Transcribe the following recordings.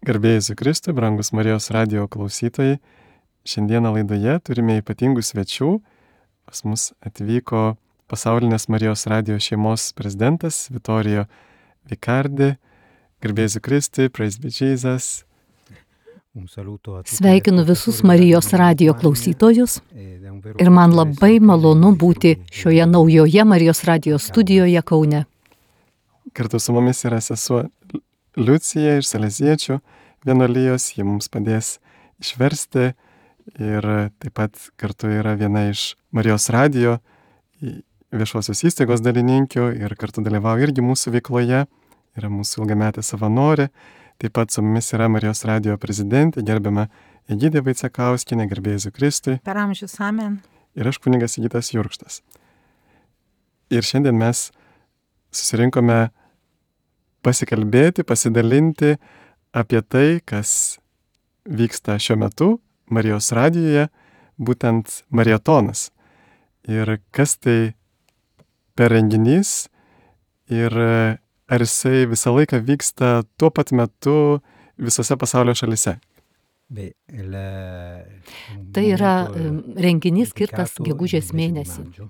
Garbė Jėzui Kristui, brangus Marijos radijo klausytojai. Šiandieną laidoje turime ypatingų svečių. Pas mus atvyko pasaulinės Marijos radijo šeimos prezidentas Vittorio Vicardi. Garbė Jėzui Kristui, praise be Jesus. Sveikinu visus Marijos radijo klausytojus ir man labai malonu būti šioje naujoje Marijos radijo studijoje Kaune. Kartu su mumis yra sesuo Liucija iš Saleziečių vienuolijos, ji mums padės išversti ir taip pat kartu yra viena iš Marijos radijo viešosios įstaigos dalininkių ir kartu dalyvauja irgi mūsų veikloje, yra mūsų ilgametė savanorė. Taip pat su mumis yra Marijos radijo prezidentė, gerbiama Egidija Vaicekauskienė, garbė Jėzui Kristui. Per amžius, amen. Ir aš kunigas Sigitas Jurkštas. Ir šiandien mes susirinkome pasikalbėti, pasidalinti apie tai, kas vyksta šiuo metu Marijos radijoje, būtent marietonas. Ir kas tai per renginys ir ar jisai visą laiką vyksta tuo pat metu visose pasaulio šalyse? Tai yra renginys skirtas gegužės mėnesį,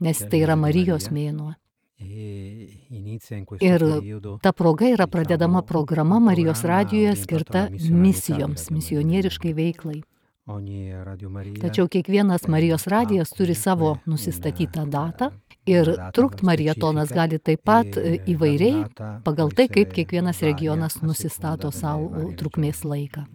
nes tai yra Marijos mėnuo. Ir ta proga yra pradedama programa Marijos radijoje skirta misijoms, misionieriškai veiklai. Tačiau kiekvienas Marijos radijas turi savo nusistatytą datą ir trukt marietonas gali taip pat įvairiai pagal tai, kaip kiekvienas regionas nusistato savo trukmės laiką.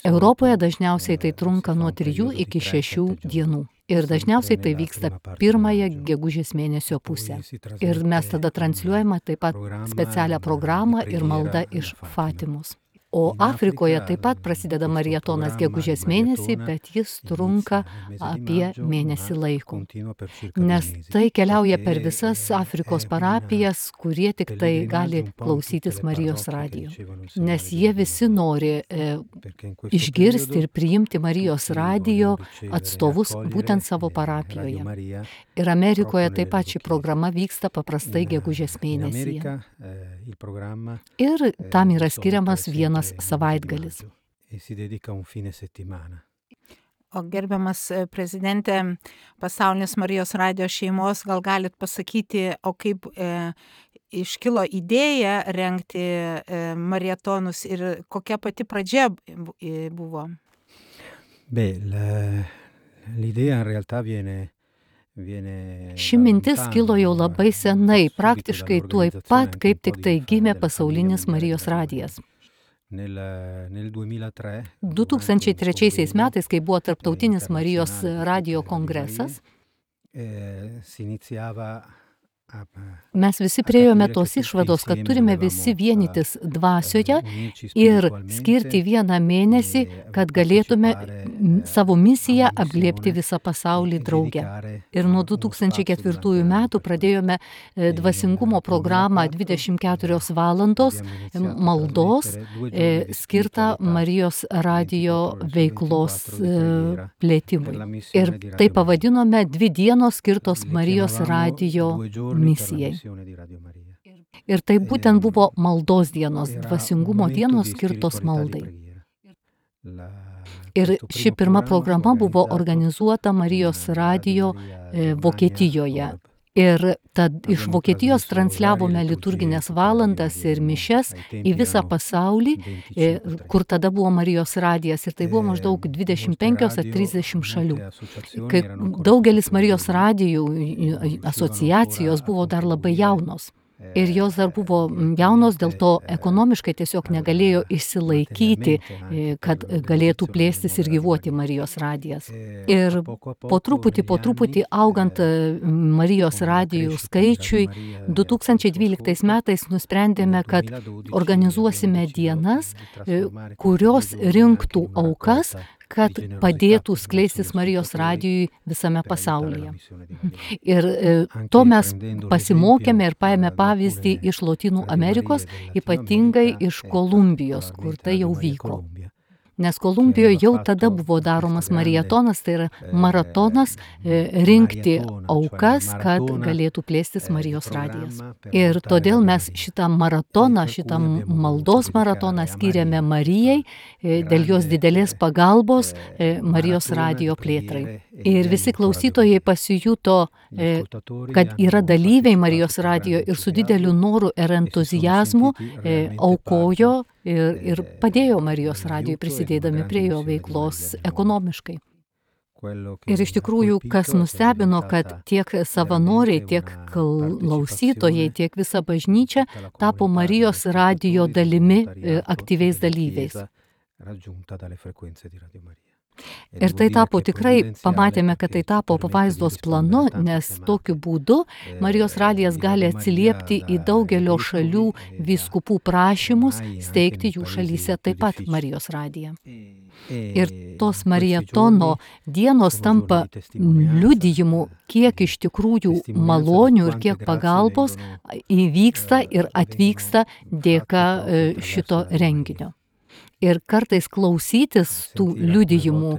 Europoje dažniausiai tai trunka nuo 3 iki 6 dienų. Ir dažniausiai tai vyksta pirmąją gegužės mėnesio pusę. Ir mes tada transliuojame taip pat specialią programą ir maldą iš Fatimos. O Afrikoje taip pat prasideda marietonas gegužės mėnesį, bet jis trunka apie mėnesį laiko. Nes tai keliauja per visas Afrikos parapijas, kurie tik tai gali klausytis Marijos radijo. Nes jie visi nori išgirsti ir priimti Marijos radijo atstovus būtent savo parapijoje. Ir Amerikoje taip pat ši programa vyksta paprastai gegužės mėnesyje. Ir tam yra skiriamas vienas savaitgalis. O gerbiamas prezidentė pasaulinės Marijos radijo šeimos, gal galit pasakyti, o kaip iškilo idėja rengti marietonus ir kokia pati pradžia buvo? L'idea in realtà viene Ši mintis kilo jau labai senai, praktiškai tuoj pat, kaip tik tai gimė pasaulinis Marijos radijas. 2003 metais, kai buvo tarptautinis Marijos radijo kongresas, mes visi priėjome tos išvados, kad turime visi vienytis dvasioje ir skirti vieną mėnesį, kad galėtume savo misiją apglėbti visą pasaulį drauge. Ir nuo 2004 metų pradėjome dvasingumo programą 24 valandos maldos skirtą Marijos radijo veiklos plėtimui. Ir tai pavadinome 2 dienos skirtos Marijos radijo misijai. Ir tai būtent buvo maldos dienos, dvasingumo dienos skirtos maldai. Ir ši pirma programa buvo organizuota Marijos radijo Vokietijoje. Ir tad iš Vokietijos transliavome liturginės valandas ir mišias į visą pasaulį, kur tada buvo Marijos radijas, ir tai buvo maždaug 25 ar 30 šalių. Kai daugelis Marijos radijų asociacijos buvo dar labai jaunos. Ir jos dar buvo jaunos, dėl to ekonomiškai tiesiog negalėjo išsilaikyti, kad galėtų plėstis ir gyvuoti Marijos radijas. Ir po truputį augant Marijos radijų skaičiui, 2012 metais nusprendėme, kad organizuosime dienas, kurios rinktų aukas, kad padėtų skleistis Marijos radijui visame pasaulyje. Ir to mes pasimokėme ir paėmė pavyzdį iš Lotynų Amerikos, ypatingai iš Kolumbijos, kur tai jau vyko. Nes Kolumbijoje jau tada buvo daromas marietonas, tai yra maratonas rinkti aukas, kad galėtų plėstis Marijos radijas. Ir todėl mes šitą maratoną, šitą maldos maratoną skyrėme Marijai dėl jos didelės pagalbos Marijos radijo plėtrai. Ir visi klausytojai pasijuto, kad yra dalyviai Marijos radijo ir su dideliu noru ir entuziazmu aukojo ir padėjo Marijos radijui prisidėdami prie jo veiklos ekonomiškai. Ir iš tikrųjų, kas nustebino, kad tiek savanoriai, tiek klausytojai, tiek visa bažnyčia tapo Marijos radijo dalimi, aktyviais dalyviais. Ir tai tapo tikrai, pamatėme, kad tai tapo pavaizdos planu, nes tokiu būdu Marijos radijas gali atsiliepti į daugelio šalių vyskupų prašymus steigti jų šalyse taip pat Marijos radiją. Ir tos marietono dienos tampa liudijimu, kiek iš tikrųjų malonių ir kiek pagalbos įvyksta ir atvyksta dėka šito renginio. Ir kartais klausytis tų liudijimų,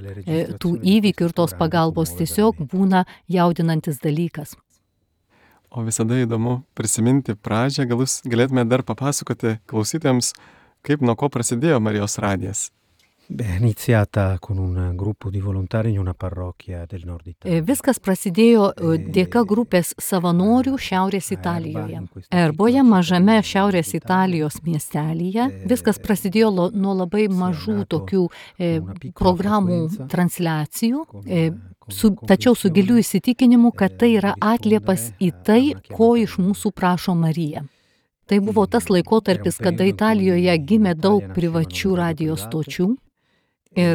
tų įvykių ir tos pagalbos tiesiog būna jaudinantis dalykas. O visada įdomu prisiminti pradžią, gal jūs galėtume dar papasakoti klausytojams, kaip nuo ko prasidėjo Marijos radijas. Iniziata con un gruppo di volontari in una parrocchia del nord Italia. Viskas prasidėjo dėka grupės savanorių Šiaurės Italijoje. Erboje, mažame Šiaurės Italijos miestelyje, viskas prasidėjo nuo labai mažų tokių programų transliacijų, tačiau su giliu įsitikinimu, kad tai yra atliepas į tai, ko iš mūsų prašo Marija. Tai buvo tas laikotarpis, kada Italijoje gimė daug privačių radijo stočių. Ir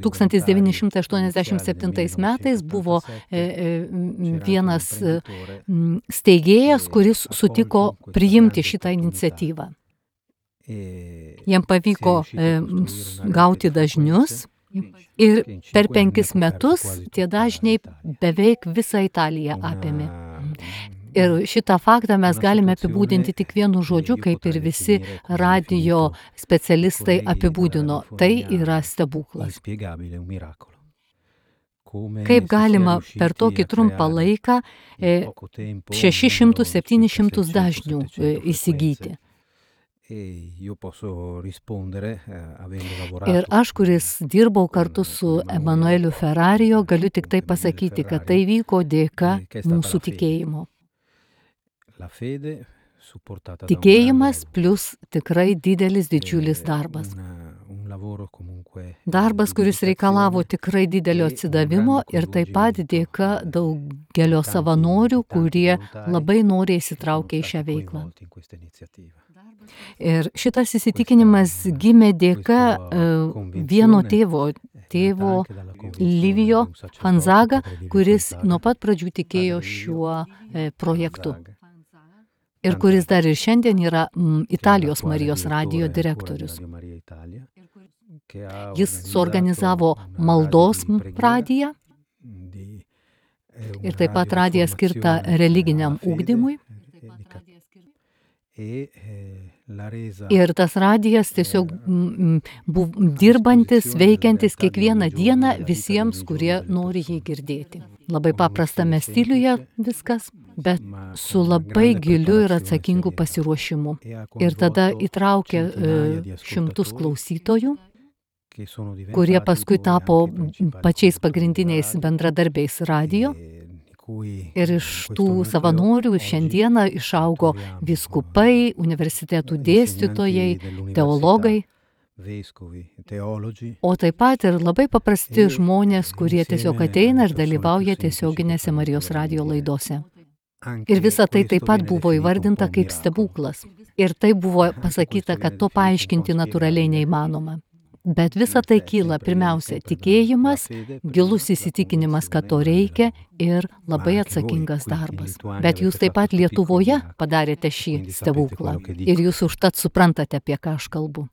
1987 metais buvo vienas steigėjas, kuris sutiko priimti šitą iniciatyvą. Jam pavyko gauti dažnius ir per 5 metus tie dažniai beveik visą Italiją apėmė. Ir šitą faktą mes galime apibūdinti tik vienu žodžiu, kaip ir visi radijo specialistai apibūdino. Tai yra stebuklas. Kaip galima per tokį trumpą laiką 600-700 dažnių įsigyti. Ir aš, kuris dirbau kartu su Emanueliu Ferrarijo, galiu tik tai pasakyti, kad tai vyko dėka mūsų tikėjimo. Tikėjimas plus tikrai didžiulis darbas. Darbas, kuris reikalavo tikrai didelio atsidavimo ir taip pat dėka daugelio savanorių, kurie labai noriai įsitraukė į šią veiklą. Ir šitas įsitikinimas gimė dėka vieno tėvo Livijo Fanzaga, kuris nuo pat pradžių tikėjo šiuo projektu. Ir kuris dar ir šiandien yra Italijos Marijos radijo direktorius. Jis suorganizavo maldos radiją ir taip pat radiją skirtą religiniam ugdymui. Ir tas radijas tiesiog dirbantis, veikiantis kiekvieną dieną visiems, kurie nori jį girdėti. Labai paprastame stiliuje viskas, bet su labai giliu ir atsakingu pasiruošimu. Ir tada įtraukė šimtus klausytojų, kurie paskui tapo pačiais pagrindiniais bendradarbiais radijo. Ir iš tų savanorių šiandieną išaugo vyskupai, universitetų dėstytojai, teologai, o taip pat ir labai paprasti žmonės, kurie tiesiog ateina ir dalyvauja tiesioginėse Marijos radijo laidose. Ir visa tai taip pat buvo įvardinta kaip stebuklas. Ir tai buvo pasakyta, kad to paaiškinti natūraliai neįmanoma. Bet visa tai kyla pirmiausia tikėjimas, gilus įsitikinimas, kad to reikia ir labai atsakingas darbas. Bet jūs taip pat Lietuvoje padarėte šį stebuklą ir jūs užtat suprantate, apie ką aš kalbu.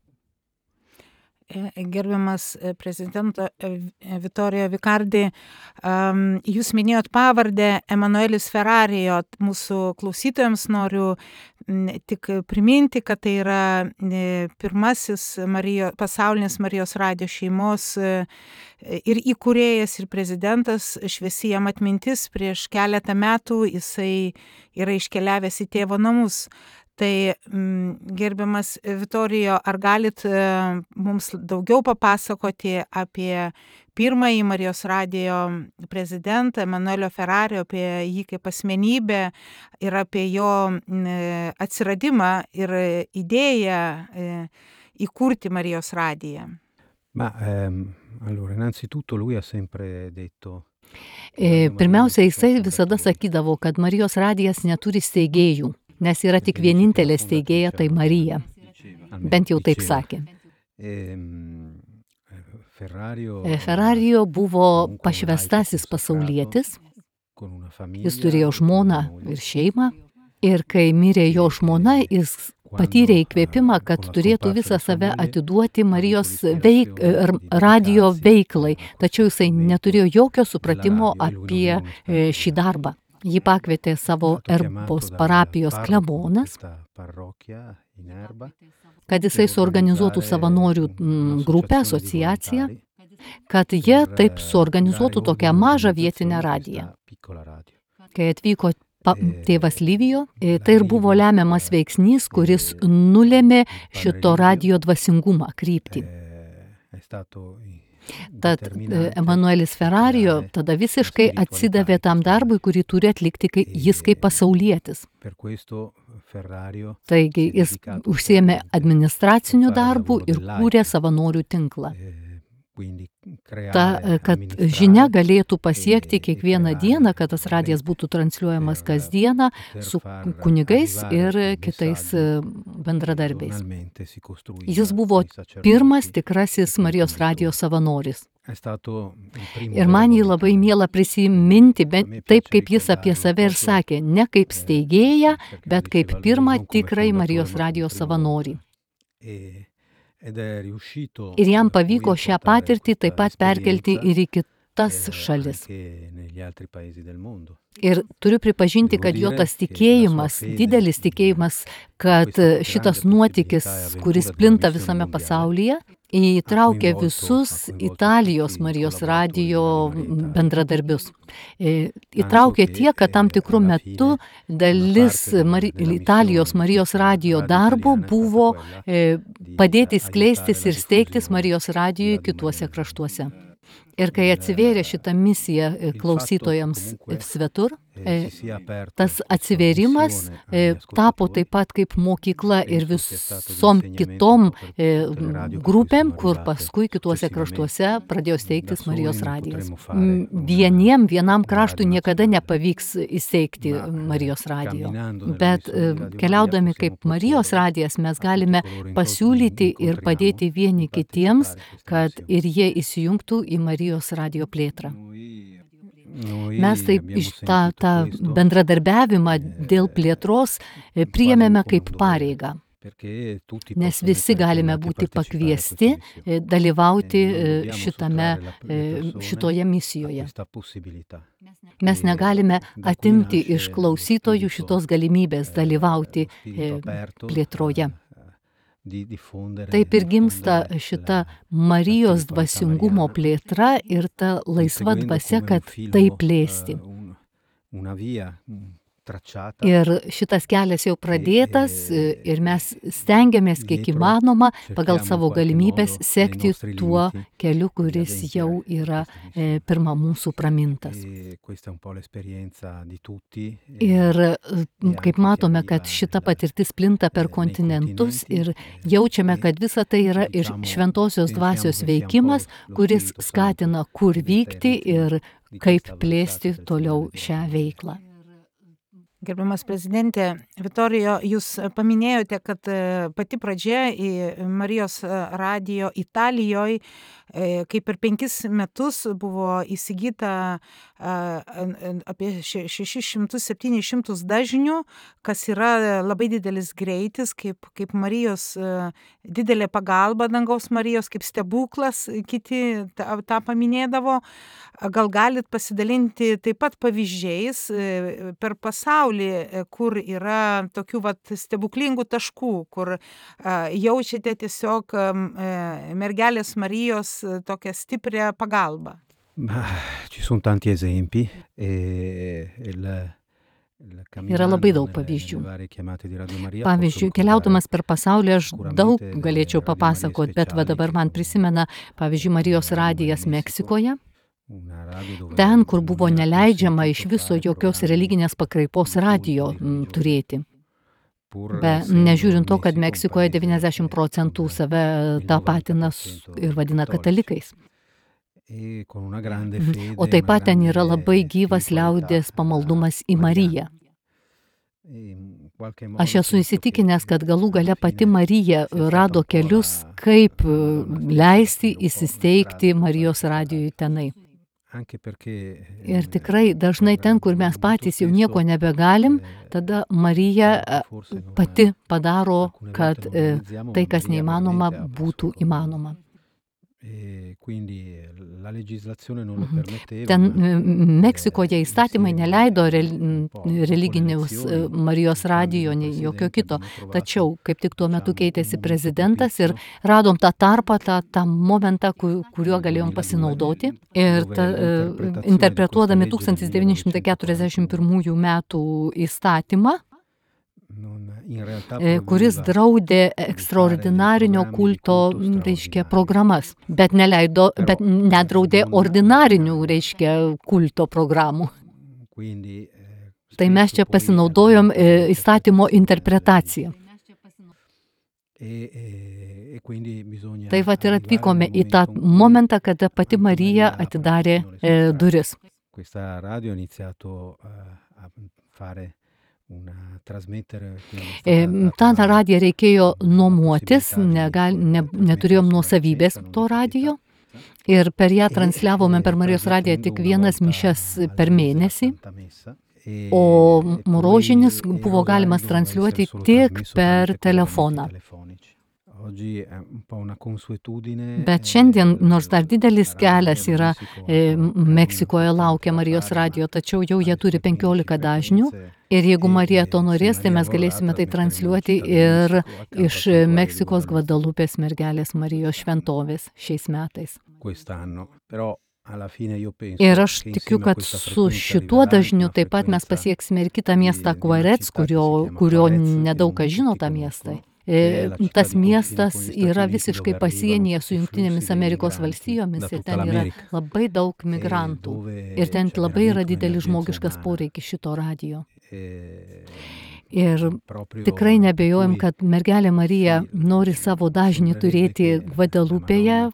Gerbiamas prezidento Vittorio Vicardi, jūs minėjot pavardę Emanuelis Ferrarijo. Mūsų klausytojams noriu tik priminti, kad tai yra pirmasis pasaulinis Marijos radijo šeimos ir įkūrėjas, ir prezidentas. Šviesi jam atmintis, prieš keletą metų jisai yra iškeliavęs į tėvo namus. Tai gerbiamas Vitorijo, ar galit mums daugiau papasakoti apie pirmąjį Marijos radijo prezidentą Emanuelio Ferrario, apie jį kaip asmenybę ir apie jo atsiradimą ir idėją įkurti Marijos radiją? Allora, innanzitutto lui ha sempre detto. Pirmiausia, jisai visada sakydavo, kad Marijos radijas neturi steigėjų, nes yra tik vienintelė steigėja, tai Marija. Bent jau taip sakė. Ferrario buvo pašvęstasis pasaulietis, jis turėjo žmoną ir šeimą, ir kai mirė jo žmona, jis patyrė įkvėpimą, kad turėtų visą save atiduoti Marijos radijo veiklai, tačiau jisai neturėjo jokio supratimo apie šį darbą. Jį pakvietė savo Erbos parapijos klebonas, kad jisai suorganizuotų savanorių grupę, asociaciją, kad jie taip suorganizuotų tokią mažą vietinę radiją. Kai atvyko tėvas Livijo, tai ir buvo lemiamas veiksnys, kuris nulėmė šito radijo dvasingumą, kryptį. Tad Emanuelis Ferrario tada visiškai atsidavė tam darbui, kurį turi atlikti jis kaip pasaulietis. Taigi jis užsiėmė administraciniu darbu ir kūrė savanorių tinklą. Kad žinia galėtų pasiekti kiekvieną dieną, kad tas radijas būtų transliuojamas kasdieną su kunigais ir kitais bendradarbiais. Jis buvo pirmas tikrasis Marijos radijo savanoris. Ir man jį labai miela prisiminti, taip kaip jis apie save ir sakė, ne kaip steigėją, bet kaip pirmą tikrai Marijos radijo savanorį. Ir jam pavyko šią patirtį taip pat perkelti ir į kitas šalis. Ir turiu pripažinti, kad jo tas tikėjimas, didelis tikėjimas, kad šitas nuotykis, kuris plinta visame pasaulyje, įtraukė visus Italijos Marijos radijo bendradarbius. Įtraukė tiek, kad tam tikrų metu dalis Italijos Marijos radijo darbo buvo padėti skleistis ir steigtis Marijos radijui kituose kraštuose. Ir kai atsivėrė šitą misiją klausytojams svetur, tas atsivėrimas tapo taip pat kaip mokykla ir visom kitom grupėm, kur paskui kituose kraštuose pradėjo steigtis Marijos radijas. Vienam kraštui niekada nepavyks įsteigti Marijos radijo, bet keliaudami kaip Marijos radijas mes galime pasiūlyti ir padėti vieni kitiems, kad ir jie įsijungtų į Marijos radijo plėtrą. Mes taip tą bendradarbiavimą dėl plėtros priėmėme kaip pareigą, nes visi galime būti pakviesti dalyvauti šitoje misijoje. Mes negalime atimti iš klausytojų šitos galimybės dalyvauti plėtroje. Taip ir gimsta šita Marijos dvasingumo plėtra ir ta laisva dvasia, kad tai plėsti. Ir šitas kelias jau pradėtas ir mes stengiamės kiek įmanoma pagal savo galimybės sekti tuo keliu, kuris jau yra pirma mūsų pramintas. Ir kaip matome, kad šita patirtis plinta per kontinentus ir jaučiame, kad visa tai yra ir šventosios dvasios veikimas, kuris skatina kur vykti ir kaip plėsti toliau šią veiklą. Gerbiamas prezidentė Vitorijo, jūs paminėjote, kad pati pradžia į Marijos radijo Italijoje kai per 5 metus buvo įsigyta apie 600-700 dažnių, kas yra labai didelis greitis, kaip Marijos didelė pagalba, dangaus Marijos, kaip stebuklas, kiti tą paminėdavo. Gal galit pasidalinti taip pat pavyzdžiais per pasaulį, kur yra tokių stebuklingų taškų, kur jaučiate tiesiog mergelės Marijos tokią stiprią pagalbą. Ci sono tanti esempi Yra labai daug pavyzdžių. Pavyzdžiui, keliaudamas per pasaulį aš daug galėčiau papasakoti, bet dabar man prisimena, pavyzdžiui, Marijos radijas Meksikoje. Ten, kur buvo neleidžiama iš viso jokios religinės pakraipos radijo turėti. Nežiūrint to, kad Meksikoje 90% save tapatina ir vadina katalikais. O taip pat ten yra labai gyvas liaudės pamaldumas į Mariją. Aš esu įsitikinęs, kad galų gale pati Marija rado kelius, kaip leisti įsisteigti Marijos radijui tenai. Ir tikrai dažnai ten, kur mes patys jau nieko nebegalim, tada Marija pati padaro, kad tai, kas neįmanoma, būtų įmanoma. Ten Meksikoje įstatymai neleido religinius Marijos radijo, nei jokio kito. Tačiau, kaip tik tuo metu keitėsi prezidentas ir radom tą tarpą, tą momentą, kuriuo galėjom pasinaudoti. Ir interpretuodami 1941 metų įstatymą, kuris draudė ekstraordinarinio kulto, programas, bet nedraudė ordinarinių, kulto programų. Tai mes čia pasinaudojom įstatymo interpretaciją. Tai ir atvykome į tą momentą, kada pati Marija atidarė duris. Tą radiją reikėjo nuomotis, neturėjom nuosavybės to radijo ir per ją transliavome per Marijos radiją tik vienas mišias per mėnesį, o rožinis buvo galimas transliuoti tik per telefoną. Bet šiandien, nors dar didelis kelias yra, Meksikoje laukia Marijos radijo, tačiau jau jie turi 15 dažnių. Ir jeigu Marija to norės, tai mes galėsime tai transliuoti ir iš Meksikos Gvadalupės mergelės Marijos šventovės šiais metais. Ir aš tikiu, kad su šituo dažniu taip pat mes pasieksime ir kitą miestą Cuarets, kurio nedaug kas žino tą miestą. Tas miestas yra visiškai pasienyje su Jungtinėmis Amerikos valstijomis ir ten yra labai daug migrantų. Ir ten labai yra didelis žmogiškas poreikis šito radijo. Ir tikrai nebejojam, kad mergelė Marija nori savo dažnį turėti Gvadelupėje,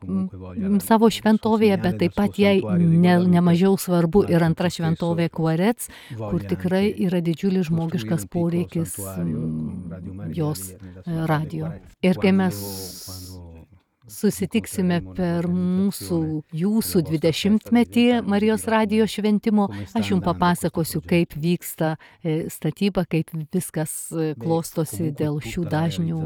savo šventovėje, bet taip pat jai nemažiau svarbu ir antra šventovė Cuarets, kur tikrai yra didžiulis žmogiškas poreikis jos radijo. Ir kai mes susitiksime per jūsų 20-metį Marijos radijo šventimo, aš jums papasakosiu, kaip vyksta statyba, kaip viskas klostosi dėl šių dažnių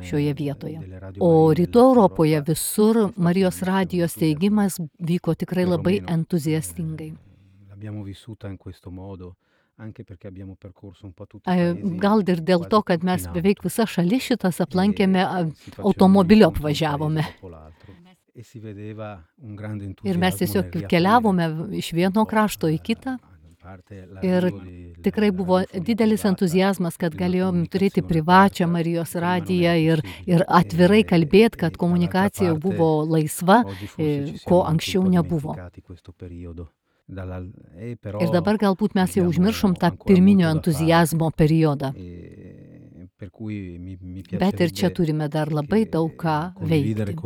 šioje vietoje. O Rytų Europoje visur Marijos radijo steigimas vyko tikrai labai entuziastingai. Gal ir dėl to, kad mes beveik visą šalį šitas aplankėme, automobiliu apvažiavome. Ir mes tiesiog keliavome iš vieno krašto į kitą. Ir tikrai buvo didelis entuziazmas, kad galėjom turėti privačią Marijos radiją ir atvirai kalbėti, kad komunikacija buvo laisva, ko anksčiau nebuvo. Ir dabar galbūt mes jau užmiršom tą pirminio entuziazmo periodą. Bet ir čia turime dar labai daug ką veikti.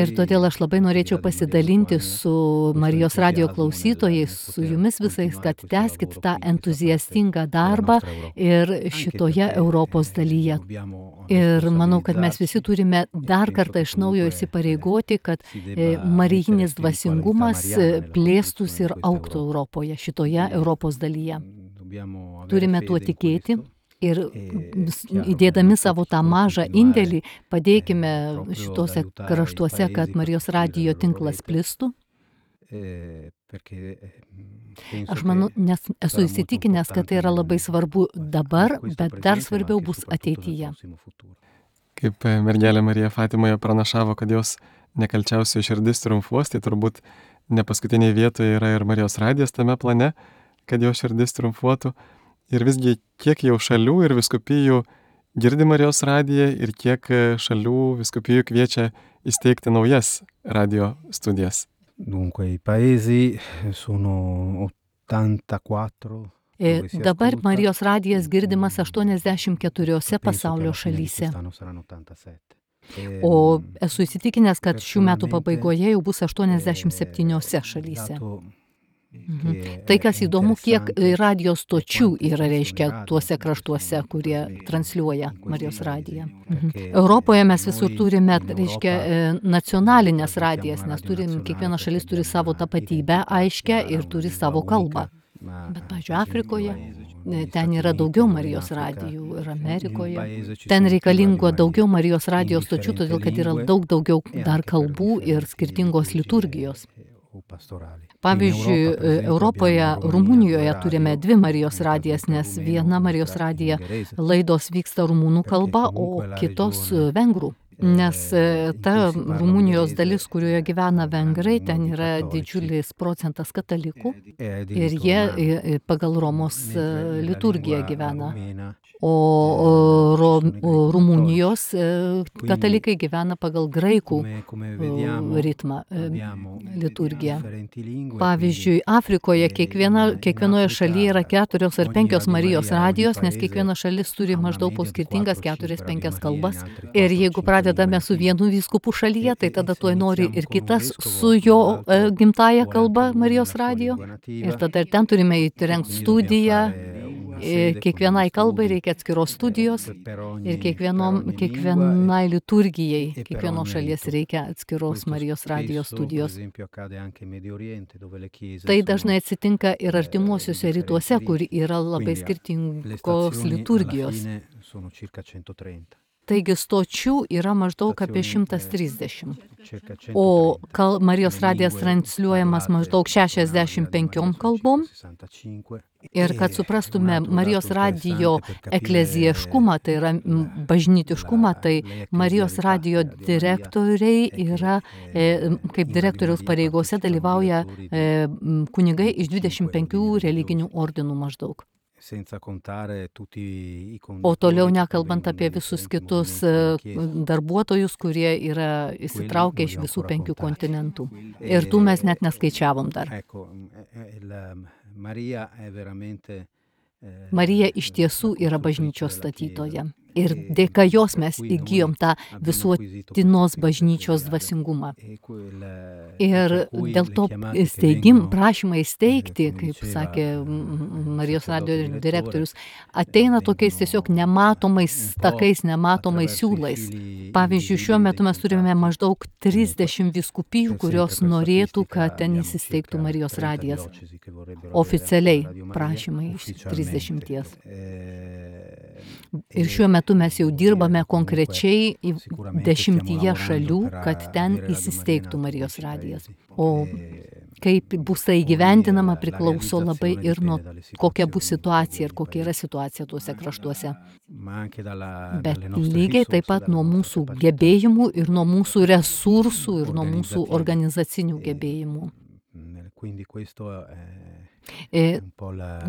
Ir todėl aš labai norėčiau pasidalinti su Marijos radijo klausytojais, su jumis visais, kad tęskit tą entuziastingą darbą ir šitoje Europos dalyje. Ir manau, kad mes visi turime dar kartą iš naujo įsipareigoti, kad marijinis dvasingumas plėstųsi ir augtų Europoje, šitoje Europos dalyje. Turime tuo tikėti. Ir įdėdami savo tą mažą indėlį, padėkime šitose kraštuose, kad Marijos radijo tinklas plistų. Aš manau, nes esu įsitikinęs, kad tai yra labai svarbu dabar, bet dar svarbiau bus ateityje. Kaip mergelė Marija Fatimoje pranašavo, kad jos nekalčiausioji širdis triumfuos, tai turbūt ne paskutinėje vietoje yra ir Marijos radijas tame plane, kad jo širdis triumfuotų. Ir visgi kiek jau šalių ir vyskupijų girdi Marijos radiją ir kiek šalių vyskupijų kviečia įsteigti naujas radio studijas. Dunque, i paesi sono 84. Dabar Marijos radijas girdimas 84 pasaulio šalyse. O esu įsitikinęs, kad šių metų pabaigoje jau bus 87 šalyse. Tai, kas įdomu, kiek radio stočių yra, reiškia, tuose kraštuose, kurie transliuoja Marijos radiją. Europoje mes visur turime, reiškia, nacionalinės radijas, nes kiekviena šalis turi savo tapatybę aiškę ir turi savo kalbą. Bet, pavyzdžiui, Afrikoje ten yra daugiau Marijos radijų ir Amerikoje. Ten reikalingo daugiau Marijos radijos stočių, todėl kad yra daug daugiau dar kalbų ir skirtingos liturgijos. Pavyzdžiui, Europoje, Rumunijoje turime 2 Marijos radijas, nes viena Marijos radija laidos vyksta rumunų kalba, o kitos vengrų. Nes ta Rumunijos dalis, kurioje gyvena vengrai, ten yra didžiulis procentas katalikų ir jie pagal Romos liturgiją gyvena. O Rumunijos katalikai gyvena pagal graikų ritmą, liturgiją. Pavyzdžiui, Afrikoje kiekvienoje šalyje yra 4 ar 5 Marijos radijos, nes kiekviena šalis turi maždaug po skirtingas 4-5 kalbas. Ir jeigu pradedame su vienu vyskupu šalyje, tai tada tuoj nori ir kitas su jo gimtąja kalba Marijos radijo. Ir tada ir ten turime įrengti studiją. Kiekvienai kalbai reikia atskiros studijos ir kiekvienai liturgijai, kiekvienos šalies reikia atskiros Marijos radijos studijos. Tai dažnai atsitinka ir artimuosiuose rytuose, kur yra labai skirtingos liturgijos. Taigi stočių yra maždaug apie 130, o Marijos radijas transliuojamas maždaug 65 kalbom. Ir kad suprastume Marijos radijo eklezijiškumą, tai yra bažnytiškumą, tai Marijos radijo direktoriai yra, kaip direktoriaus pareigose dalyvauja kunigai iš 25 religinių ordinų maždaug. O toliau nekalbant apie visus kitus darbuotojus, kurie yra įsitraukę iš visų 5 kontinentų. Ir tų mes net neskaičiavom dar. Marija iš tiesų yra bažnyčios statytoja. Ir dėka jos mes įgijom tą visuotinos bažnyčios dvasingumą. Ir dėl to prašymai įsteigti, kaip sakė Marijos radijo direktorius, ateina tokiais tiesiog nematomais takais, nematomais siūlais. Pavyzdžiui, šiuo metu mes turime maždaug 30 vyskupijų, kurios norėtų, kad ten įsisteigtų Marijos radijas. Oficialiai prašymai iš 30. Ir šiuo metu mes jau dirbame konkrečiai 10 šalių, kad ten įsisteigtų Marijos radijas. O kaip bus tai įgyvendinama priklauso labai ir nuo kokia bus situacija ir kokia yra situacija tuose kraštuose. Bet lygiai taip pat nuo mūsų gebėjimų ir nuo mūsų resursų ir nuo mūsų organizacinių gebėjimų.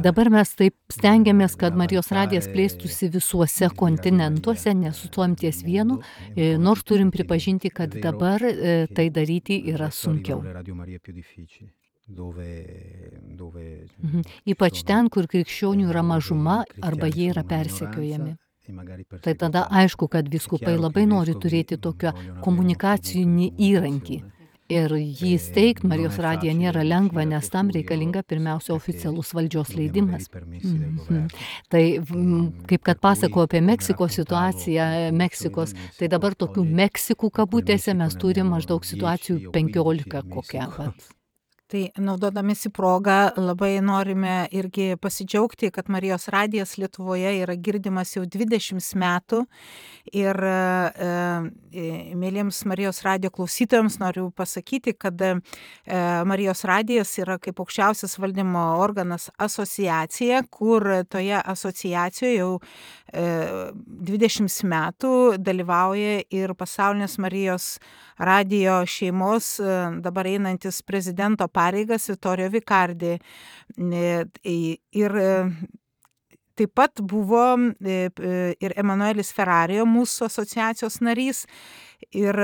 Dabar mes taip stengiamės, kad Marijos radijas plėstųsi visuose kontinentuose, nesustojam ties vienu, nors turim pripažinti, kad dabar tai daryti yra sunkiau. Ypač ten, kur krikščionių yra mažuma arba jie yra persekiojami. Tai tada aišku, kad vyskupai labai nori turėti tokią komunikacinį įrankį. Ir jį steigt Marijos radiją nėra lengva, nes tam reikalinga pirmiausia oficialus valdžios leidimas. Tai kaip kad pasako apie Meksikos situaciją, Meksikos, tai dabar tokių Meksikų kabutėse mes turime maždaug situacijų 15 kokią. Tai naudodamėsi progą labai norime irgi pasidžiaugti, kad Marijos radijas Lietuvoje yra girdimas jau 20 metų ir mėlyms Marijos radijo klausytojams noriu pasakyti, kad Marijos radijas yra kaip aukščiausias valdymo organas asociacija, kur toje asociacijoje jau 20 metų dalyvauja ir pasaulinės Marijos radijo šeimos dabar einantis prezidento pareigas Vittorio Vicardi. Ir taip pat buvo ir Emanuelis Ferrario, mūsų asociacijos narys. Ir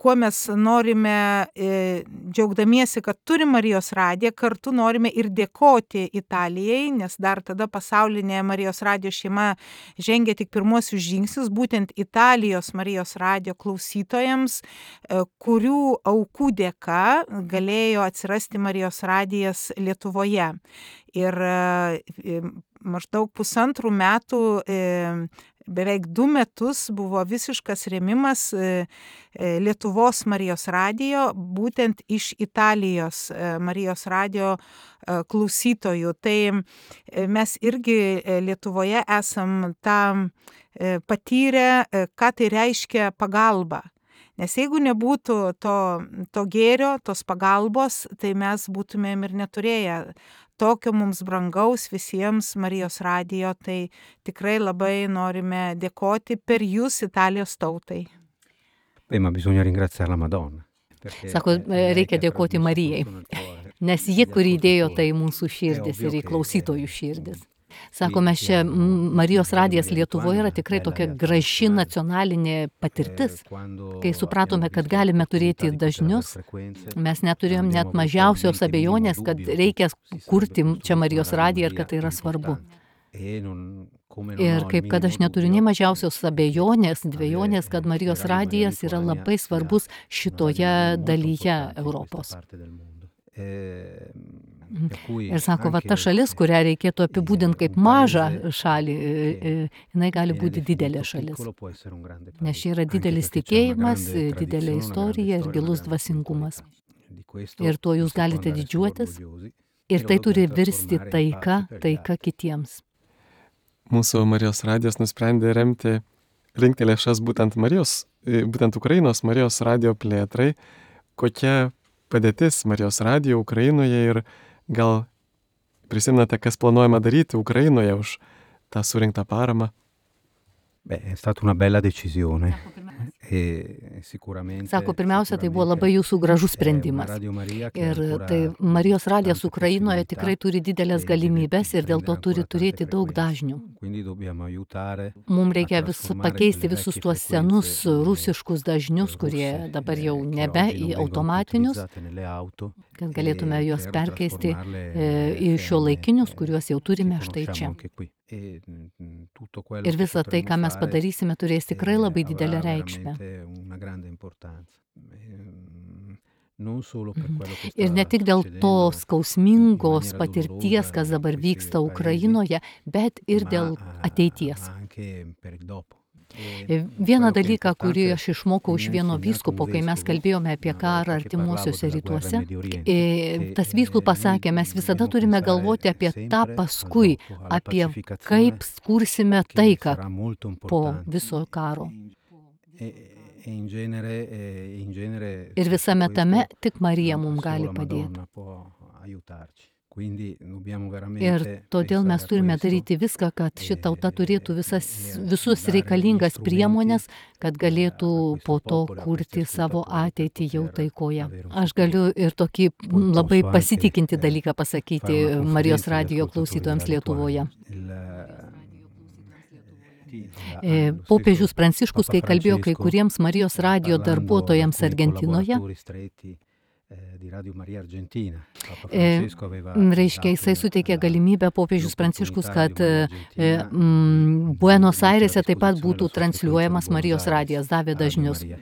kuo mes norime, džiaugdamiesi, kad turim Marijos radiją, kartu norime ir dėkoti Italijai, nes dar tada pasaulinė Marijos radijo šeima žengė tik pirmuosius žingsnius, būtent Italijos Marijos radijo klausytojams, kurių aukų dėka galėjo atsirasti Marijos radijas Lietuvoje. Ir maždaug 1,5 metų, beveik 2 metus buvo visiškas rėmimas Lietuvos Marijos radijo, būtent iš Italijos Marijos radijo klausytojų. Tai mes irgi Lietuvoje esam tą patyrę, ką tai reiškia pagalba. Nes jeigu nebūtų to gėrio, tos pagalbos, tai mes būtumėm ir neturėję tokio mums brangaus visiems Marijos radijo, tai tikrai labai norime dėkoti per jūs Italijos tautai. Ma bisogna ringraziare la Madonna. Sako, reikia dėkoti Marijai, nes ji, kuri įdėjo tai mūsų širdis ir į klausytojų širdis. Sako, mes čia, Marijos radijas Lietuvoje yra tikrai tokia graži nacionalinė patirtis. Kai supratome, kad galime turėti dažnius, mes neturėjom net mažiausios abejonės, kad reikia kurti čia Marijos radiją ir kad tai yra svarbu. Ir kaip kad aš neturiu nei mažiausios abejonės, dvejonės, kad Marijos radijas yra labai svarbus šitoje dalyje Europos. Ir sako, va ta šalis, kurią reikėtų apibūdinti kaip mažą šalį, jinai gali būti didelė šalis. Nes čia yra didelis tikėjimas, didelė istorija ir gilus dvasingumas. Ir tuo jūs galite didžiuotis. Ir tai turi virsti taika kitiems. Mūsų Marijos radijas nusprendė rinkti lėšas būtent Ukrainos Marijos radijo plėtrai. Kokia padėtis Marijos radijo Ukrainoje ir gal prisimenate, kas planuojama daryti Ukrainoje už tą surinktą paramą? È stata una bella decisione. Sako, pirmiausia, tai buvo labai jūsų gražus sprendimas. Ir tai Marijos radijas Ukrainoje tikrai turi didelės galimybės ir dėl to turi turėti daug dažnių. Mums reikia pakeisti visus tuos senus rusiškus dažnius, kurie dabar jau nebe į automatinius, kad galėtume juos perkeisti į šiuolaikinius, kuriuos jau turime štai čia. Ir visa tai, ką mes padarysime, turės tikrai labai didelę reikšmę. Ir ne tik dėl tos skausmingos patirties, kas dabar vyksta Ukrainoje, bet ir dėl ateities. Vieną dalyką, kurį aš išmokau iš vieno vyskupo, kai mes kalbėjome apie karą artimuosiuose rytuose, tas vyskupas sakė, mes visada turime galvoti apie tą paskui, apie kaip kursime taiką po viso karo. Ir visame tame tik Marija mums gali padėti. Ir todėl mes turime daryti viską, kad ši tauta turėtų visus reikalingas priemonės, kad galėtų po to kurti savo ateitį jau taikoje. Aš galiu ir tokį labai pasitikinti dalyką pasakyti Marijos radijo klausytojams Lietuvoje. Popiežius Pranciškus, kai kalbėjo kai kuriems Marijos radijo darbuotojams Argentinoje, di Radio Maria Argentina. Papa E, Francesco aveva Reiškia, jisai dato suteikė la- galimybę popiežius Pranciškus, l'opportunità kad di Radio Maria Argentina, Buenos mettere a Airėse taip pat disposizione būtų la sua transliuojamas frequenza di Marijos Buenos radijas, Aires davė a Radio dažnius. Maria.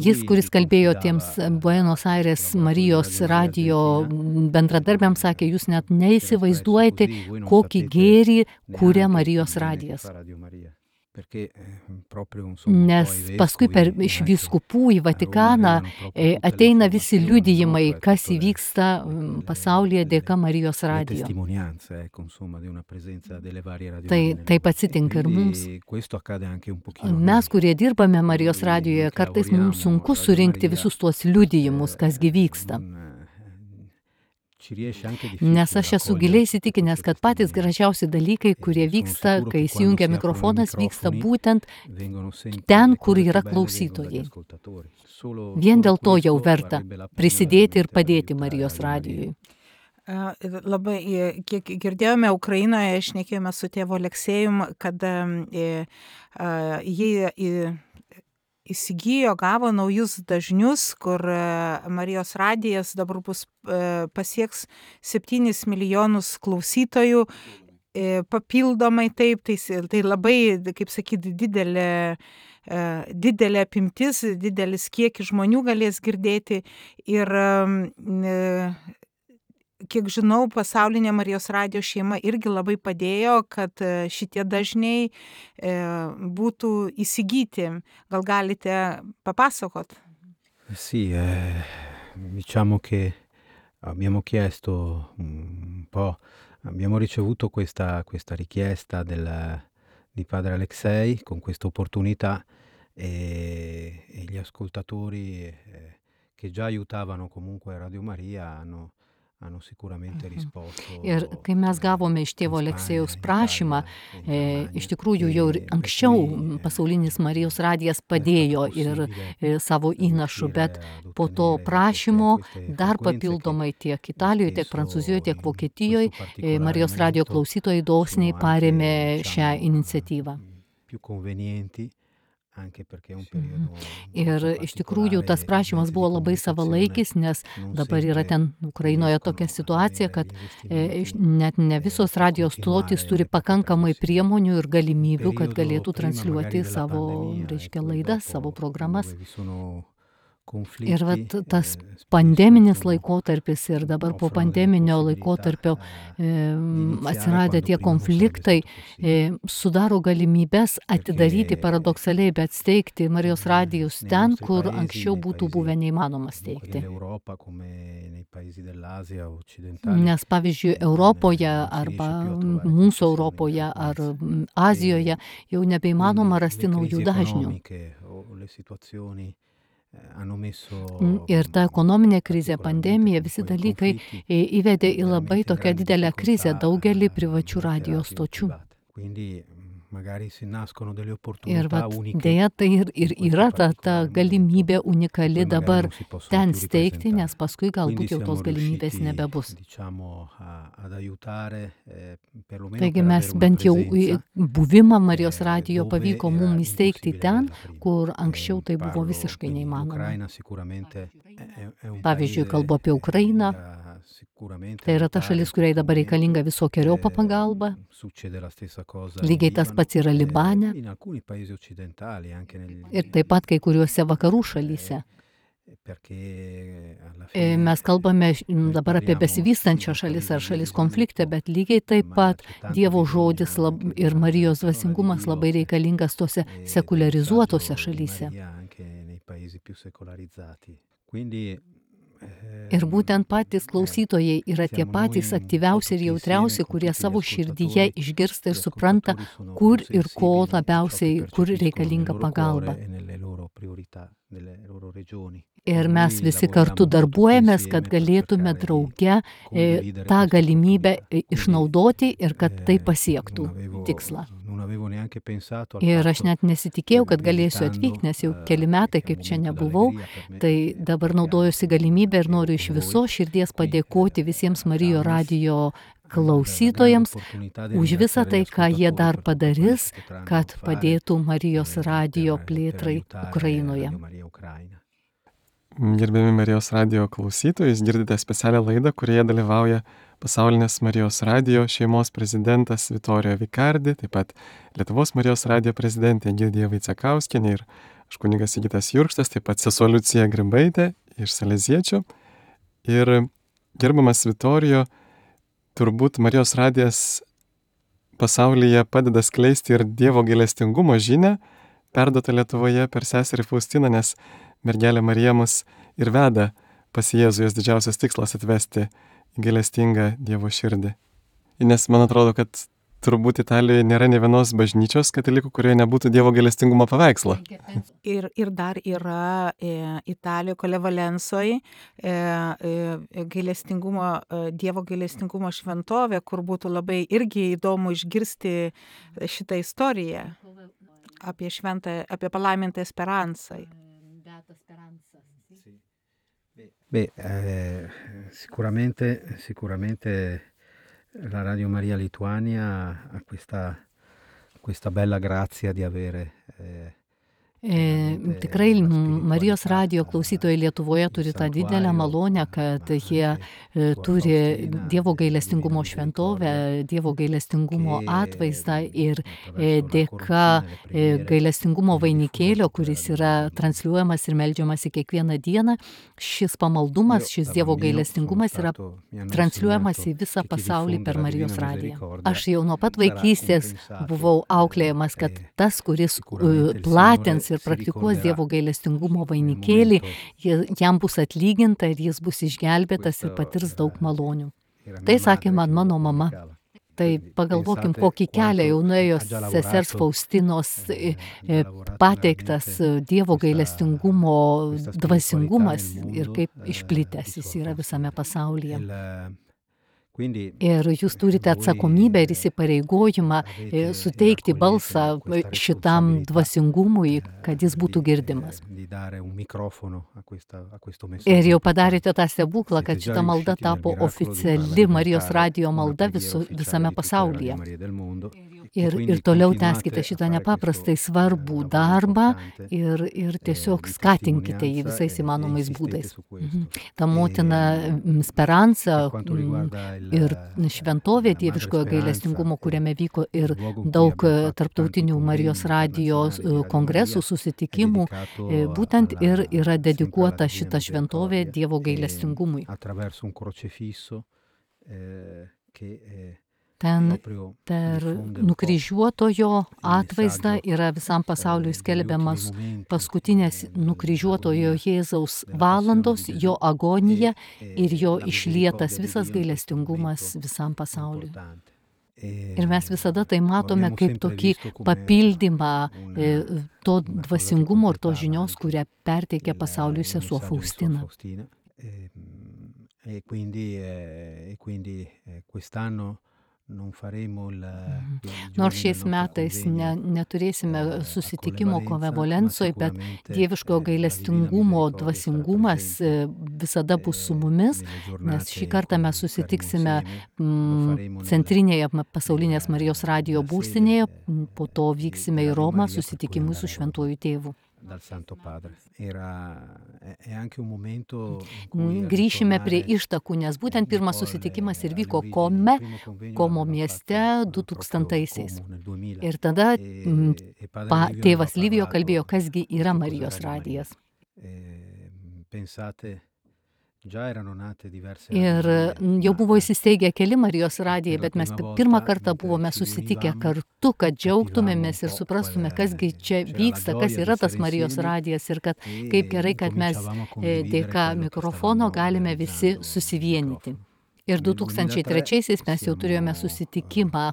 Jis, kuris Lui kalbėjo confidava, tiems Buenos Aires collaboratori Marijos di Radio Maria radijo Argentina, bendradarbiams, sakė, jūs net che era neįsivaizduojate, espresso così, voi non kokį sapete gėrį kūrė neanche Marijos il bene che radijas. fa Radio Maria. Perché proprio insomma un po' Nes i paskui per vescovi iš anche vyskupų į a Roma Vatikaną arrivano proprio tutte le ateina visi informazioni, liudijimai, no? Cioè kas tutte įvyksta pasaulyje dėka Marijos le radijo. testimonianze, ecco, insomma, di una presenza delle varie radio Tai Marie taip nel mondo. atsitinka ir mums. Quindi questo accade anche un pochino a Mes, noi. kurie dirbame Marijos Noi radijoje, che kartais lavoriamo mums sunku a Radio surinkti Maria, visus tuos liudijimus, kasgi vyksta. Ci riesce anche Nes difficile aš esu raccogliere giliai įsitikinęs, queste kad patys testimonianze. gražiausi dalykai, kurie Sono vyksta, sicuro kai che quando įsijungia si aprono i mikrofonas, vyksta microfoni būtent vengono sempre ten, le kur cose yra più belle vengono dagli klausytojai. ascoltatori. Solo Vien dėl to jau questo verta varrebbe la pena prisidėti ir veramente padėti aiutare Marijos Radio Maria. radijui. Labai, kiek girdėjome, Ukrainoje šnekėjome su tėvu Aleksėjum, kad jie įsigijo, gavo naujus dažnius, kur Marijos radijas dabar bus pasieks 7 milijonus klausytojų. Papildomai taip, tai labai, kaip sakyti, didelė apimtis, didelis kiekis žmonių galės girdėti ir kiek žinau, pasaulinė Marijos radijo šeima irgi labai padėjo, kad šitie dažniai būtų įsigyti. Gal galite papasakot? Sì, diciamo che abbiamo chiesto un po', abbiamo ricevuto questa richiesta di padre Alexei con questa opportunità e gli ascoltatori che già aiutavano comunque Radio Maria hanno sicuramente risposto. Ir kai mes gavome iš tėvo in Aleksėjaus Spagna, prašymą, in Italia, in iš tikrųjų jau ir Germania, anksčiau per cui, pasaulinis Marijos radijas è stato padėjo ir possibile savo įnašų, bet riuscire ad po to ottenere prašymo queste dar frequenze papildomai che tiek Italijoje, tiek spesso Prancūzijoje, tiek in Vokietijoje questo particolare Marijos radijo momento klausytojai dosniai sono parėmė anche, šią diciamo, iniciatyvą. più convenienti anche perché è un periodo Ir molto iš tikrųjų tas particolare, prašymas mezzi di buvo labai savalaikis, nes non dabar yra sempre ten Ukrainoje riescono tokia ad situacija, avere kad gli investimenti net ne visos per radijos stotys continuare turi le proprie pakankamai trasmissioni. priemonių ir galimybių, kad Periodo galėtų prima transliuoti magari della savo, pandemia, reiškia, ecco, e laidas, dopo, savo programas. dove vi sono conflitti, Ir vat tas spesso pandeminis insomma, laikotarpis ir dabar po offrono delle pandeminio possibilità, laikotarpio di iniziare atsiradę quando tie prima non sarebbe konfliktai stato possibile. sudaro galimybės atidaryti Perché paradoksaliai, bet steigti Marijos radijus nei ten, nostri kur paesi, anksčiau nei būtų paesi buvę neįmanoma comunque steigti. dell'Europa come nei paesi dell'Asia occidentali. Nes pavyzdžiui, Europoje non si arba riesce più a trovare mūsų queste Europoje ar frequenze. Azijoje jau Quindi nebeįmanoma rasti le naujų crisi dažnių. economiche o le situazioni hanno messo Ir ta ekonominė krizė, particolarmente pandemija, con visi quei dalykai conflitti įvedė į labai veramente tokią grandi didelę krizę difficoltà daugelį a privačių molte radijos radio stočių. private. Quindi magari si nascono delle Ir opportunità vat uniche dėja tai ir in questo yra ta particolare galimybė momento, unikali poi magari dabar non si possono ten più steigti, ripresentare. nes paskui Quindi galbūt jau tos siamo galimybės riusciti, nebebus. diciamo, ad aiutare perlomeno Taigi per mes avere una bent jau presenza buvimą Marijos radijo dove pavyko era mum įsteigti impossibile ten, averla prima. kur anksčiau tai buvo Parlo visiškai quindi neįmanoma. l'Ucraina sicuramente è un Pavyzdžiui, paese kalbu apie Ukrainą. sicuramente Tai yra ta aiutare šalis, in kuriai questo dabar reikalinga momento. visokiojopa pagalba. Succede la stessa cosa Lygiai in tas pats yra Libano, Libane in alcuni paesi occidentali, anche negli ir taip pat kai kuriuose vakarų šalyse. perché alla fine Mes kalbame noi dabar apie parliamo besivystančias sì di šalis ar paesi šalis di konflikte, sviluppo, bet lygiai taip ma pat c'è tanto Dievo bisogno žodis anche ir della Marijos parola dvasingumas di labai Dio reikalingas tose e del sekularizuotose messaggio di šalyse. Maria anche nei paesi più secolarizzati. Quindi Ir būtent patys klausytojai yra tie patys aktyviausi ir jautriausi, kurie savo širdyje išgirsta ir supranta, kur ir ko labiausiai, kur reikalinga pagalba. Ir mes visi kartu darbuojamės, kad galėtume drauge tą galimybę išnaudoti ir kad tai pasiektų tikslą. Ir aš net nesitikėjau, kad galėsiu atvykti, nes jau keli metai kaip čia nebuvau, tai dabar naudojusi galimybę ir noriu iš viso širdies padėkoti visiems Marijos radijo klausytojams už visą tai, ką jie dar padarys, kad padėtų Marijos radijo plėtrai Ukrainoje. Gerbiami Marijos radijo klausytojai, jūs girdite specialią laidą, kurioje dalyvauja pasaulinės Marijos radijo šeimos prezidentas Vitorijo Vikardi, taip pat Lietuvos Marijos radijo prezidentė Egidija Vaicekauskienė ir aš kunigas Sigitas Jurkštas, taip pat sesuo Liucija Grimbaitė iš Saleziečių. Ir gerbiamas Vitorijo, turbūt Marijos radijas pasaulyje padeda skleisti ir Dievo gailestingumo žinią, perduota Lietuvoje per seserį Faustiną, nes mergelė Marija mus ir veda pas Jėzų, jos didžiausias tikslas atvesti į gailestingą Dievo širdį. Nes man atrodo, kad turbūt Italijoje nėra nė vienos bažnyčios katalikų, kurioje nebūtų Dievo gailestingumo paveikslo. Ir dar yra Italijoje, Kole Valensoje, Dievo gailestingumo šventovė, kur būtų labai irgi įdomu išgirsti šitą istoriją apie palaimintą Esperansą. Sicuramente la Radio Maria Lituania ha questa bella grazia di avere Tikrai Marijos radijo klausytojai Lietuvoje turi tą didelę malonę, kad jie turi Dievo gailestingumo šventovę, Dievo gailestingumo atvaizdą ir dėka gailestingumo vainikėlio, kuris yra transliuojamas ir meldžiamas į kiekvieną dieną, šis pamaldumas, šis Dievo gailestingumas yra transliuojamas į visą pasaulį per Marijos radiją. Aš jau nuo pat vaikystės buvau auklėjamas, kad tas, kuris platins ir praktikuos Dievo gailestingumo vainikėlį, jam bus atlyginta ir jis bus išgelbėtas ir patirs daug malonių. Tai sakė man mano mama. Tai pagalvokim, kokį kelią jau nuėjo sesers Faustinos pateiktas Dievo gailestingumo dvasingumas ir kaip išplitęs jis yra visame pasaulyje. Ir jūs turite atsakomybę ir įsipareigojimą suteikti balsą šitam dvasingumui, kad jis būtų girdimas. Ir jau padarėte tą stebuklą, kad šita malda tapo oficiali Marijos radijo malda visame pasaulyje. Ir toliau tęskite šitą nepaprastai svarbų darbą ir tiesiog skatinkite jį visais įmanomais būdais. Ta motina Speranza ir šventovė dieviškojo gailestingumo, kuriame vyko ir daug tarptautinių Marijos radijo kongresų, susitikimų, būtent ir yra dedikuota šita šventovė Dievo gailestingumui. Ten per nukryžiuotojo atvaizdą yra visam pasauliui skelbiamas paskutinės nukryžiuotojo Jėzaus valandos, jo agonija ir jo išlietas visas gailestingumas visam pasauliui. Ir mes visada tai matome kaip tokį papildymą to dvasingumo ir to žinios, kurią perteikia pasauliui sesuo Faustina. Nors šiais metais neturėsime susitikimo Kove Valensoje, bet dieviškojo gailestingumo dvasingumas visada bus su mumis, nes šį kartą mes susitiksime centrinėje pasaulinės Marijos radijo būstinėje, po to vyksime į Romą susitikimui su Šventuoju Tėvu. Grįšime prie ištakų, nes būtent pirmas susitikimas ir vyko Komo mieste 2000-aisiais. Ir tada tėvas Livijo kalbėjo, kasgi yra Marijos radijas. Ir jau buvo įsisteigę keli Marijos radijai, bet mes pirmą kartą buvome susitikę kartu, kad džiaugtumėmės ir suprastume, kasgi čia vyksta, kas yra tas Marijos radijas ir kad kaip gerai, kad mes dėka mikrofono galime visi susivienyti. Ir 2003-aisiais mes jau turėjome susitikimą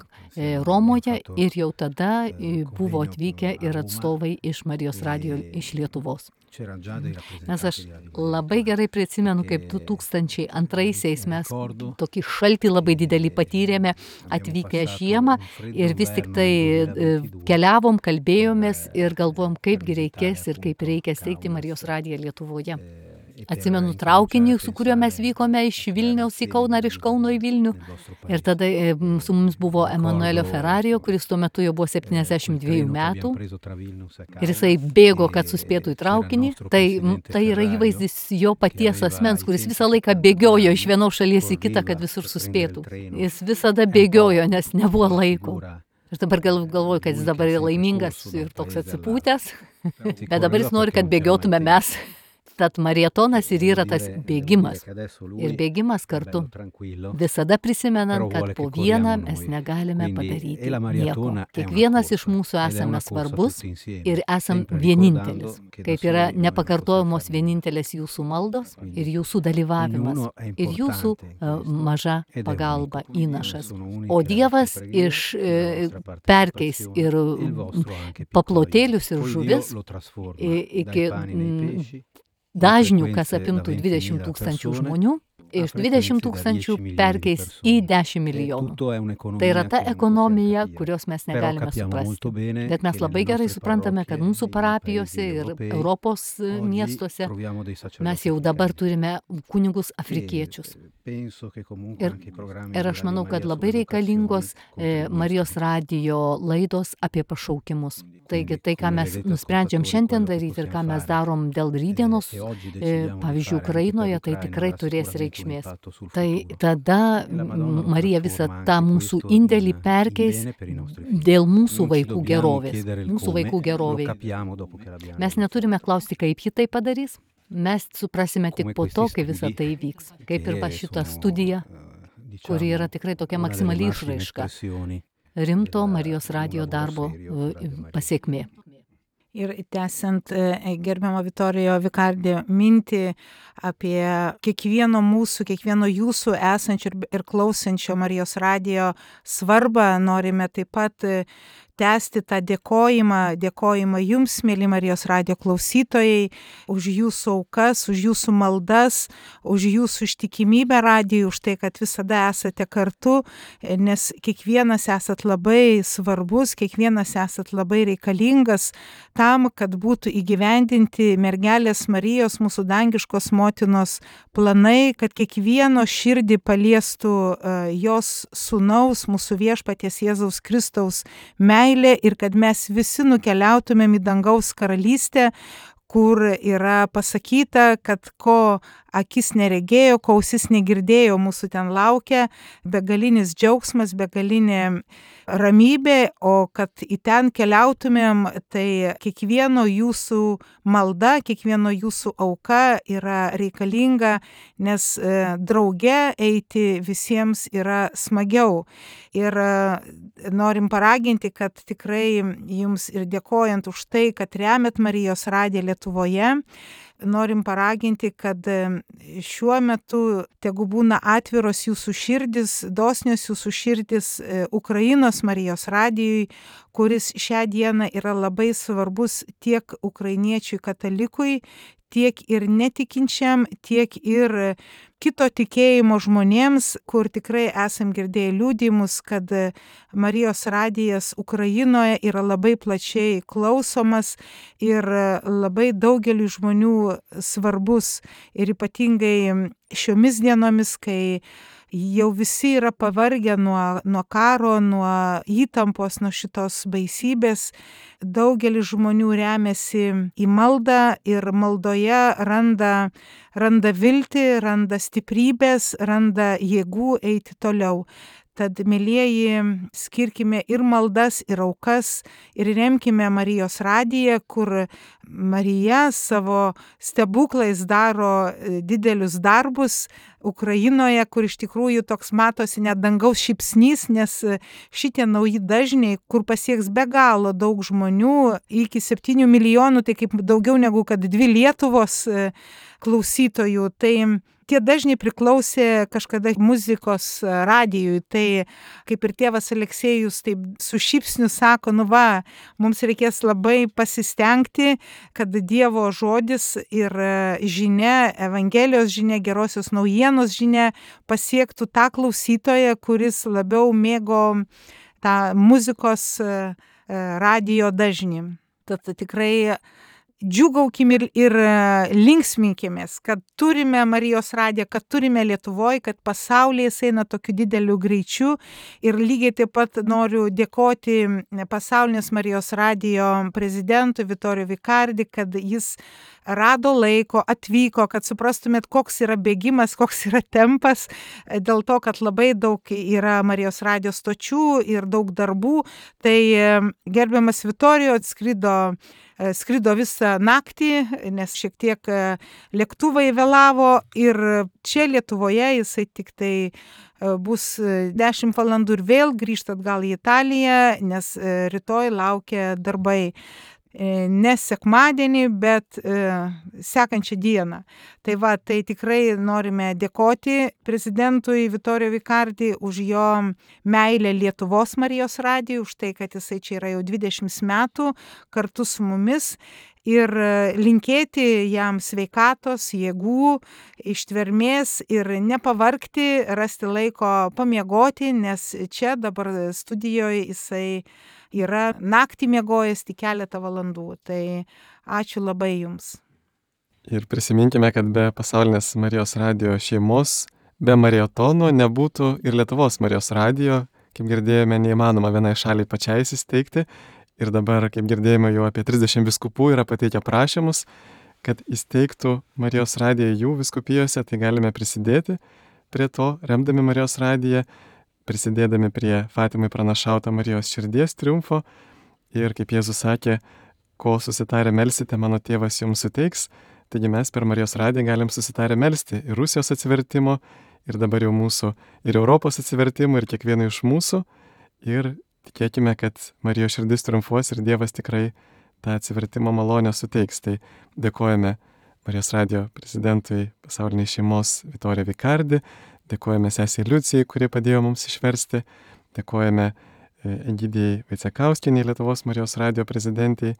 Romoje ir jau tada buvo atvykę ir atstovai iš Marijos radijo iš Lietuvos. Nes aš labai gerai prisimenu, kaip 2002-aisiais mes tokį šaltį labai didelį patyrėme atvykę žiemą ir vis tik tai keliavom, kalbėjomės ir galvojom, kaipgi reikės ir kaip reikia steigti Marijos radiją Lietuvoje. Atsimenu traukinį, su kuriuo mes vykome iš Vilniaus į Kauną ir iš Kauno į Vilnių. Ir tada su mums buvo Emanuelio Ferrario, kuris tuo metu jau buvo 72 metų. Ir jisai bėgo, kad suspėtų į traukinį. Tai yra įvaizdis jo paties asmens, kuris visą laiką bėgiojo iš vienos šalies į kitą, kad visur suspėtų. Jis visada bėgiojo, nes nebuvo laiko. Aš dabar galvoju, kad jis dabar yra laimingas ir toks atsipūtęs, bet dabar jis nori, kad bėgiotume mes. Tad marietonas ir yra tas bėgimas. Ir bėgimas kartu. Visada prisimenant, kad po vieną mes negalime padaryti nieko. Kiekvienas iš mūsų esame svarbus ir esam vienintelis. Kaip yra nepakartojamos vienintelės jūsų maldos ir jūsų dalyvavimas. Ir jūsų maža pagalba įnašas. O Dievas perkeis ir paplotėlius ir žuvis iki dažnių, kas apimtų 20 000 žmonių, iš 20 000 perkeis į 10 milijonų. Tai yra ta ekonomija, kurios mes negalime suprasti. Bet mes labai gerai suprantame, kad mūsų parapijose ir Europos miestuose mes jau dabar turime kunigus afrikiečius. Ir aš manau, kad labai reikalingos Marijos radijo laidos apie pašaukimus. Taigi tai, ką mes nusprendžiam šiandien daryti ir ką mes darom dėl rytdienos, pavyzdžiui, Ukrainoje, tai tikrai turės reikšmės. Tai tada Marija visą tą mūsų indėlį perkeis dėl mūsų vaikų gerovės. Mūsų vaikų geroviai. Mes neturime klausti, kaip ji tai padarys. Mes suprasime tik po to, kai visa tai įvyks. Kaip ir šita studija, kuri yra tikrai tokia maksimali išraiška rimto Marijos radijo darbo pasekmė. Ir tęsiant gerbiamo Vitorijo Vikardė mintį apie kiekvieno mūsų, kiekvieno jūsų esančio ir klausančio Marijos radijo svarbą, norime taip pat tęsti tą dėkojimą jums, mėly Marijos radijo klausytojai, už jūsų aukas, už jūsų maldas, už jūsų ištikimybę radijui, už tai, kad visada esate kartu, nes kiekvienas esat labai svarbus, kiekvienas esat labai reikalingas tam, kad būtų įgyvendinti mergelės Marijos, mūsų dangiškos motinos planai, kad kiekvieno širdį paliestų jos sūnaus, mūsų viešpaties Jėzaus Kristaus meilė ir kad mes visi nukeliautumėm į dangaus karalystę, kur yra pasakyta, kad ko akis neregėjo, ko ausis negirdėjo, mūsų ten laukia begalinis džiaugsmas, begalinė ramybė, o kad į ten keliautumėm, tai kiekvieno jūsų malda, kiekvieno jūsų auka yra reikalinga, nes drauge eiti visiems yra smagiau. Ir norim paraginti, kad tikrai jums ir dėkojant už tai, kad remiat Marijos radiją Lietuvoje, norim paraginti, kad šiuo metu tegu būna atviros jūsų širdis, dosnios jūsų širdis Ukrainos Marijos radijui, kuris šią dieną yra labai svarbus tiek ukrainiečiui katalikui, tiek ir netikinčiam, tiek ir kito tikėjimo žmonėms, kur tikrai esam girdėję liudijimus, kad Marijos radijas Ukrainoje yra labai plačiai klausomas ir labai daugeliu žmonių svarbus ir ypatingai šiomis dienomis, kai jau visi yra pavargę nuo karo, nuo įtampos, nuo šitos baisybės. Daugelis žmonių remiasi į maldą ir maldoje randa viltį, randa stiprybės, randa jėgų eiti toliau. Tad, mielieji, skirkime ir maldas, ir aukas, ir remkime Marijos radiją, kur Marija savo stebuklais daro didelius darbus Ukrainoje, kur iš tikrųjų toks matosi net dangaus šypsnys, nes šitie nauji dažniai, kur pasieks be galo daug žmonių, iki 7 milijonų, tai kaip daugiau negu kad 2 Lietuvos klausytojų, tai tie dažniai priklausė kažkada muzikos radijui, tai kaip ir tėvas Aleksėjus taip su šypsniu sako, mums reikės labai pasistengti, kad Dievo žodis ir žinia, Evangelijos žinia, gerosios naujienos žinia pasiektų tą klausytoją, kuris labiau mėgo tą muzikos radijo dažnį. Tad tikrai džiūgaukim ir linksminkimės, kad turime Marijos radiją, kad turime Lietuvoje, kad pasaulyje jis eina tokiu dideliu greičiu. Ir lygiai taip pat noriu dėkoti pasaulinės Marijos radijo prezidentui Vittorio Vicardi, kad jis rado laiko, atvyko, kad suprastumėt, koks yra bėgimas, koks yra tempas, dėl to, kad labai daug yra Marijos radijos stočių ir daug darbų. Tai gerbiamas Vittorio skrido visą naktį, nes šiek tiek lėktuvai vėlavo ir čia Lietuvoje jisai tik tai bus 10 valandų ir vėl grįžta atgal į Italiją, nes rytoj laukia darbai. Ne sekmadienį, bet sekančią dieną. Tai tikrai norime dėkoti prezidentui Vittorio Vicardi už jo meilę Lietuvos Marijos radijui, už tai, kad jisai čia yra jau 20 metų kartu su mumis ir linkėti jam sveikatos, jėgų, ištvermės ir nepavargti, rasti laiko pamiegoti, nes čia dabar studijoje jisai yra naktį miegojęs tik keletą valandų. Tai ačiū labai jums. Ir prisiminkime, kad be pasaulinės Marijos radijo šeimos, be maratono nebūtų ir Lietuvos Marijos radijo. Kaip girdėjome, neįmanoma vienai šaliai pačiai įsisteigti. Ir dabar, kaip girdėjome, jau apie 30 vyskupų yra pateikę prašymus, kad įsteigtų Marijos radiją jų vyskupijose. Tai galime prisidėti prie to, remdami Marijos radiją, prisidėdami prie Fatimai pranašauto Marijos širdies triumfo. Ir kaip Jėzus sakė, ko susitarę melsite, mano tėvas jums suteiks. Taigi mes per Marijos radiją galim susitarę melsti ir Rusijos atsivertimo, ir dabar jau mūsų, ir Europos atsivertimo, ir kiekvieno iš mūsų. Ir tikėkime, kad Marijos širdis triumfuos ir Dievas tikrai tą atsivertimo malonę suteiks. Tai dėkojame Marijos radijo prezidentui pasaulinės šeimos Vittorio Vicardi, dėkojame sesei Liucijai, kuri padėjo mums išversti, dėkojame Egidijai Vaicekauskienei, Lietuvos Marijos radijo prezidentei,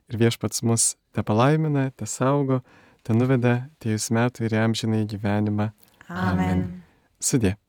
ir Viešpats mus te palaimina, te saugo, te nuveda tiejus metų ir amžinąjį gyvenimą. Amen. Sudie.